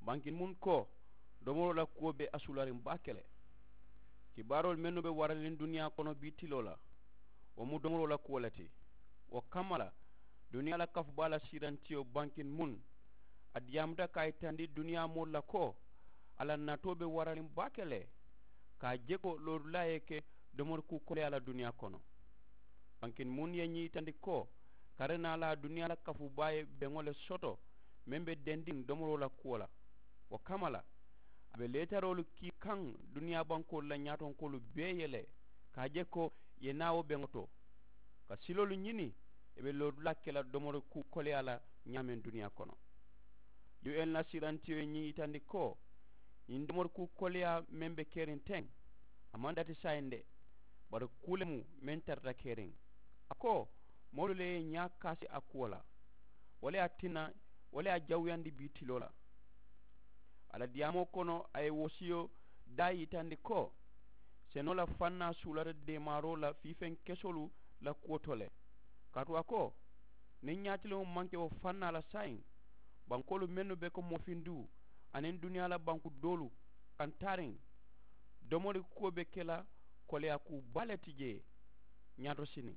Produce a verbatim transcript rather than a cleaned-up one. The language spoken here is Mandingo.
Bankin mun ko domoroo la kuwo be a suulariŋ baake le. Kibaaroolu mennu be waraniŋ duniyaa kono bii tiloo la, wo mu domoroo la kuwo le ti. Wo kamma la, duniyaa la kafu baa la siirantiyo bankin mun a diyaamuta ka a yitandi duniyaa moolu la ko a la natoo be waraniŋ baake le. Ka a je ko loodulaa ye ke domori kuu koleyaa la duniyaa kono. Bankin mun ye ñiŋ yitandi ko kari naa la duniyaa la kafu baa ye beŋo le soto meŋ be dendiŋ domoroo la kuwo la. Wo kamma la a be leetaroolu kii kaŋ duniyaa bankoolu la ñaatonkoolu bee ye le ka a je ko ì ye naa wo beŋo to ka siloolu ñini ì be loodulaa ke la domori kuu koleyaa la ñaameŋ duniyaa kono. Yu en la siirantiyo ye ñiŋ yitandi ko ñiŋ domori kuu koleyaa meŋ be keriŋ teŋ a maŋ dati saayiŋ de. Bari kuu le mu meŋ tarata keriŋ a ko moolu le ye ñaa kaasi a kuwo la. Wo le ye a tinna wo le ye a jawuyandi bii tiloo la. A la diyaamoo kono a ye wosiyo daa yitandi ko senoo la fannaa suulata deemaaroo la fiifeŋ kesoolu la kuwo to le. Kaatu a ko niŋ ñaatiliŋo maŋ ke wo fannaa la saayiŋ bankoolu mennu be ko moofinduu aniŋ duniyaa la banku doolu kaŋ taariŋ domori kuwo be ke la koleyaa kuu baa le ti jee. Ñaato siniŋ